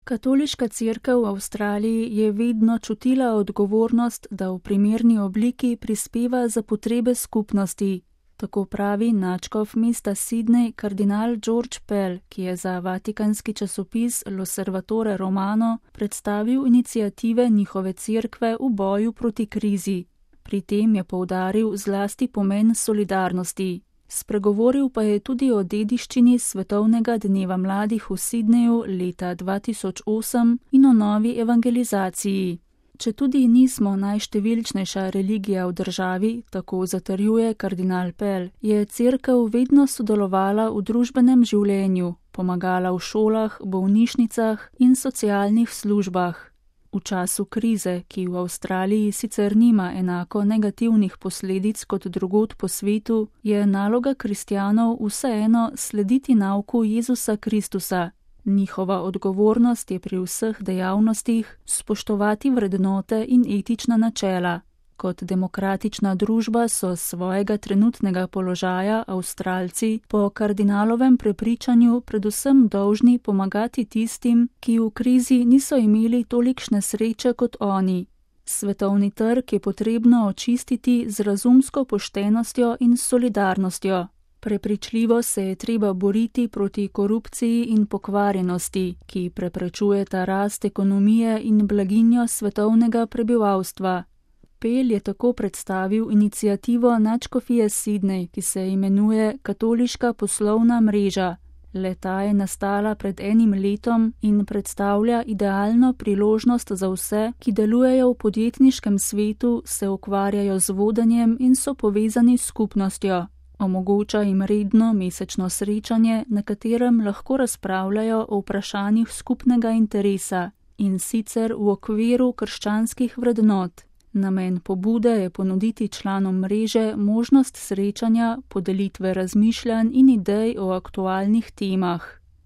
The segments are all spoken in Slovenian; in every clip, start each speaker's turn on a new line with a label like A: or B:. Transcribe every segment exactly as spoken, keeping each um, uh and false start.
A: Katoliška cerkev v Avstraliji je vedno čutila odgovornost, da v primerni obliki prispeva za potrebe skupnosti. Tako pravi nadškof mesta Sydney kardinal George Pell, ki je za vatikanski časopis L'Osservatore Romano predstavil iniciative njihove cerkve v boju proti krizi. Pri tem je poudaril zlasti pomen solidarnosti. Spregovoril pa je tudi o dediščini Svetovnega dneva mladih v Sydneyju leta dva tisoč osem in o novi evangelizaciji. Četudi nismo najštevilčnejša religija v državi, tako zatrjuje kardinal Pell, je cerkev vedno sodelovala v družbenem življenju, pomagala v šolah, bolnišnicah in socialnih službah. V času krize, ki v Avstraliji sicer nima enako negativnih posledic kot drugod po svetu, je naloga kristjanov vseeno slediti nauku Jezusa Kristusa. Njihova odgovornost je pri vseh dejavnostih spoštovati vrednote in etična načela. Kot demokratična družba so s svojega trenutnega položaja Avstralci po kardinalovem prepričanju predvsem dolžni pomagati tistim, ki v krizi niso imeli tolikšne sreče kot oni. Svetovni trg je potrebno očistiti z razumsko poštenostjo in solidarnostjo. Prepričljivo se je treba boriti proti korupciji in pokvarjenosti, ki preprečujeta rast ekonomije in blaginjo svetovnega prebivalstva. Pell je tako predstavil inicijativo nadškofije Sydney, ki se imenuje Katoliška poslovna mreža. Le-ta je nastala pred enim letom in predstavlja idealno priložnost za vse, ki delujejo v podjetniškem svetu, se ukvarjajo z vodenjem in so povezani s skupnostjo. Omogoča jim redno mesečno srečanje, na katerem lahko razpravljajo o vprašanjih skupnega interesa, in sicer v okviru krščanskih vrednot. Namen pobude je ponuditi članom mreže možnost srečanja, podelitve razmišljanj in idej o aktualnih temah.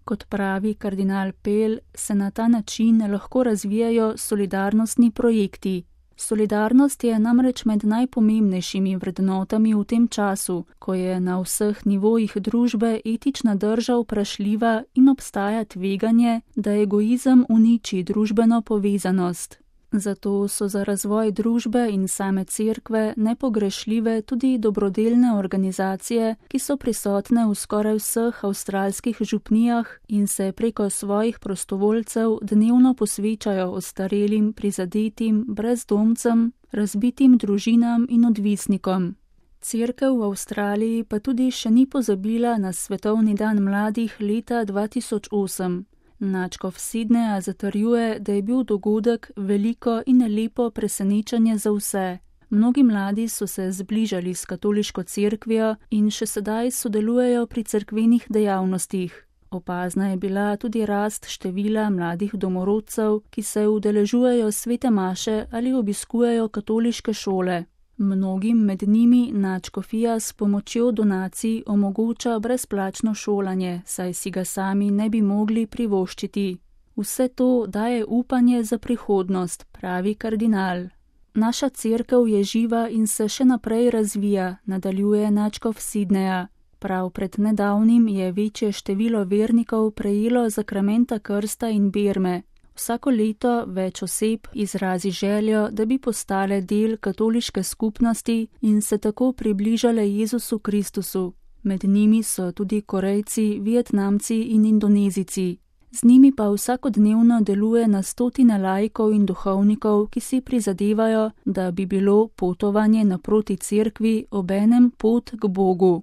A: Kot pravi kardinal Pell, se na ta način lahko razvijajo solidarnostni projekti. Solidarnost je namreč med najpomembnejšimi vrednotami v tem času, ko je na vseh nivojih družbe etična drža vprašljiva in obstaja tveganje, da egoizem uniči družbeno povezanost. Zato so za razvoj družbe in same cerkve nepogrešljive tudi dobrodelne organizacije, ki so prisotne v skoraj vseh avstralskih župnijah in se preko svojih prostovoljcev dnevno posvečajo ostarelim, prizadetim, brezdomcem, razbitim družinam in odvisnikom. Cerkev v Avstraliji pa tudi še ni pozabila na Svetovni dan mladih leta dva tisoč osem. Nadškof Sydneyja zatrjuje, da je bil dogodek veliko in lepo presenečenje za vse. Mnogi mladi so se zbližali s katoliško cerkvijo in še sedaj sodelujejo pri cerkvenih dejavnostih. Opazna je bila tudi rast števila mladih domorodcev, ki se udeležujejo svete maše ali obiskujejo katoliške šole. Mnogim med njimi nadškofija s pomočjo donacij omogoča brezplačno šolanje, saj si ga sami ne bi mogli privoščiti. Vse to daje upanje za prihodnost, pravi kardinal. Naša cerkev je živa in se še naprej razvija, nadaljuje nadškof Sydneyja. Prav pred nedavnim je večje število vernikov prejelo zakramenta krsta in berme. Vsako leto več oseb izrazi željo, da bi postale del katoliške skupnosti in se tako približale Jezusu Kristusu. Med njimi so tudi Korejci, Vietnamci in Indonezijci. Z njimi pa vsakodnevno deluje na stotine laikov in duhovnikov, ki si prizadevajo, da bi bilo potovanje naproti cerkvi obenem pot k Bogu.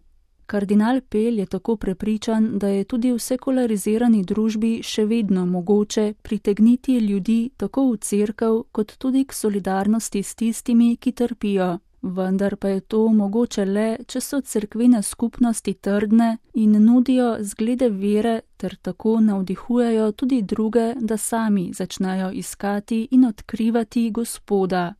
A: Kardinal Pell je tako prepričan, da je tudi v sekularizirani družbi še vedno mogoče pritegniti ljudi tako v cerkev, kot tudi k solidarnosti s tistimi, ki trpijo. Vendar pa je to mogoče le, če so cerkvene skupnosti trdne in nudijo zglede vere ter tako navdihujejo tudi druge, da sami začnejo iskati in odkrivati Gospoda.